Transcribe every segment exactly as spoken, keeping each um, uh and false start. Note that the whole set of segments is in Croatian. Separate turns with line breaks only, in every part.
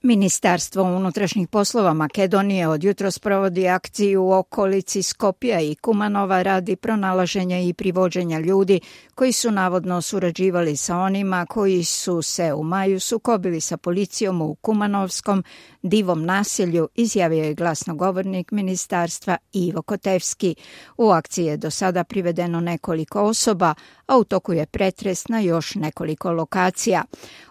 Ministarstvo unutrašnjih poslova Makedonije od jutros provodi akciju u okolici Skopja i Kumanova radi pronalaženja i privođenja ljudi koji su navodno surađivali sa onima koji su se u maju sukobili sa policijom u Kumanovskom Divom naselju, izjavio je glasnogovornik ministarstva Ivo Kotevski. U akciji je do sada privedeno nekoliko osoba, a u toku je pretres na još nekoliko lokacija.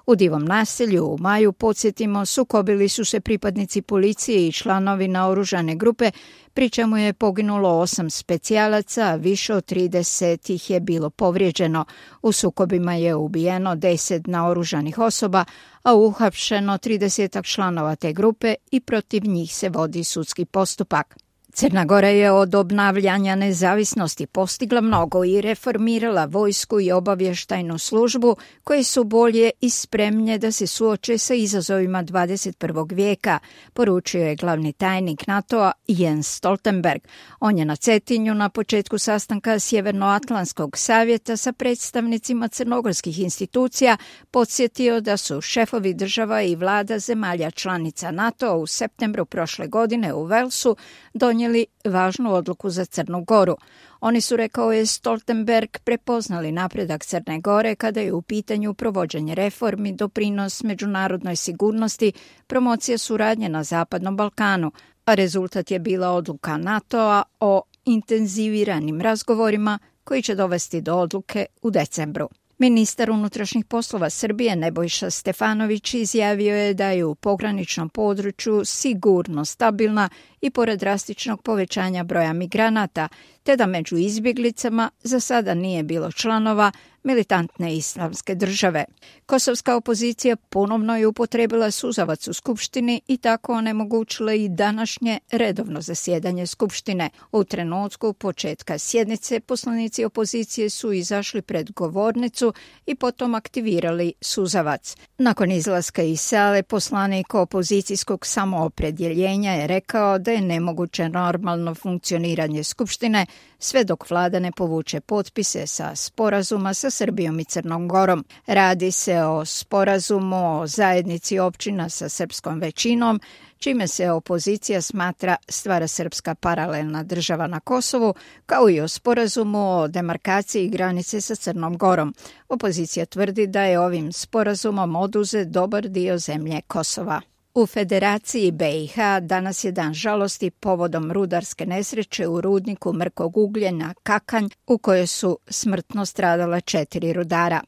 U Divom naselju u maju, podsjetimo, sukobili su se pripadnici policije i članovi naoružane grupe, pri čemu je poginulo osam specijalaca, a više od trideset ih je bilo povrijeđeno. U sukobima je ubijeno deset naoružanih osoba, a uhapšeno trideset članova te grupe i protiv njih se vodi sudski postupak. Crna Gora je od obnavljanja nezavisnosti postigla mnogo i reformirala vojsku i obavještajnu službu koje su bolje i spremnije da se suoče sa izazovima dvadeset prvog vijeka, poručio je glavni tajnik NATO-a Jens Stoltenberg. On je na Cetinju na početku sastanka Sjevernoatlantskog savjeta sa predstavnicima crnogorskih institucija podsjetio da su šefovi država i vlada zemalja članica NATO-a u septembru prošle godine u Velsu donijeli važnu odluku za Crnu Goru. Oni su, rekao je Stoltenberg, prepoznali napredak Crne Gore kada je u pitanju provođenje reformi, doprinos međunarodnoj sigurnosti, promocija suradnje na Zapadnom Balkanu, a rezultat je bila odluka NATO-a o intenziviranim razgovorima koji će dovesti do odluke u decembru. Ministar unutrašnjih poslova Srbije Nebojša Stefanović izjavio je da je u pograničnom području sigurno stabilna i pored drastičnog povećanja broja migranata, te da među izbjeglicama za sada nije bilo članova militantne islamske države. Kosovska opozicija ponovno je upotrebila suzavac u Skupštini i tako onemogućila i današnje redovno zasjedanje Skupštine. U trenutku početka sjednice poslanici opozicije su izašli pred govornicu i potom aktivirali suzavac. Nakon izlaska iz sale, poslanik opozicijskog samoopredjeljenja je rekao da je nemoguće normalno funkcioniranje Skupštine sve dok vlada ne povuče potpise sa sporazuma sa Srbijom i Crnom Gorom. Radi se o sporazumu o zajednici općina sa srpskom većinom, čime se opozicija smatra stvara srpska paralelna država na Kosovu, kao i o sporazumu o demarkaciji granice sa Crnom Gorom. Opozicija tvrdi da je ovim sporazumom oduzet dobar dio zemlje Kosova. U Federaciji B i H danas je dan žalosti povodom rudarske nesreće u rudniku mrkog ugljena Kakanj, u kojoj su smrtno stradala četiri rudara.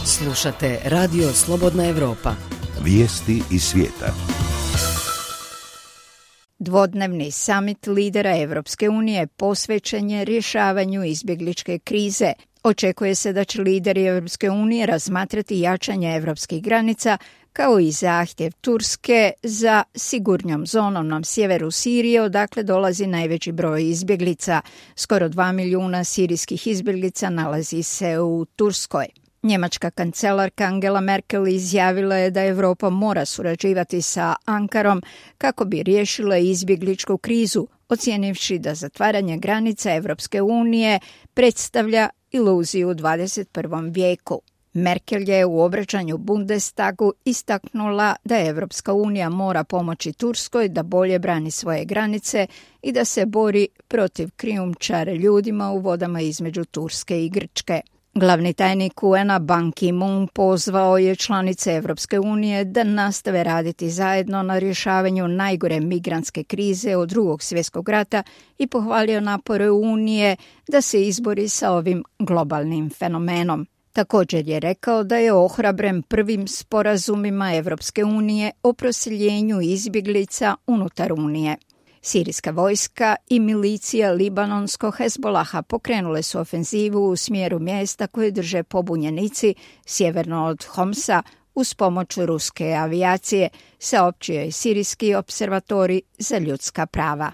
Slušate Radio Slobodna Evropa.
Vijesti iz svijeta.
Dvodnevni samit lidera Evropske unije posvećen je rješavanju izbjegličke krize. Očekuje se da će lideri Evropske unije razmatrati jačanje evropskih granica, kao i zahtjev Turske za sigurnjom zonom na sjeveru Sirije, odakle dolazi najveći broj izbjeglica. Skoro dva milijuna sirijskih izbjeglica nalazi se u Turskoj. Njemačka kancelarka Angela Merkel izjavila je da Europa mora surađivati sa Ankarom kako bi riješila izbjegličku krizu, ocijenivši da zatvaranje granica Evropske unije predstavlja iluziju u dvadeset prvom vijeku. Merkel je u obraćanju Bundestagu istaknula da Evropska unija mora pomoći Turskoj da bolje brani svoje granice i da se bori protiv krijumčara ljudima u vodama između Turske i Grčke. Glavni tajnik U N a Ban Ki-moon pozvao je članice Evropske unije da nastave raditi zajedno na rješavanju najgore migrantske krize od drugog svjetskog rata i pohvalio napore Unije da se izbori sa ovim globalnim fenomenom. Također je rekao da je ohrabren prvim sporazumima Evropske unije o proseljenju izbjeglica unutar Unije. Sirijska vojska i milicija libanonsko-Hezbolaha pokrenule su ofenzivu u smjeru mjesta koje drže pobunjenici sjeverno od Homsa uz pomoć ruske avijacije, saopćio je Sirijski observatorij za ljudska prava.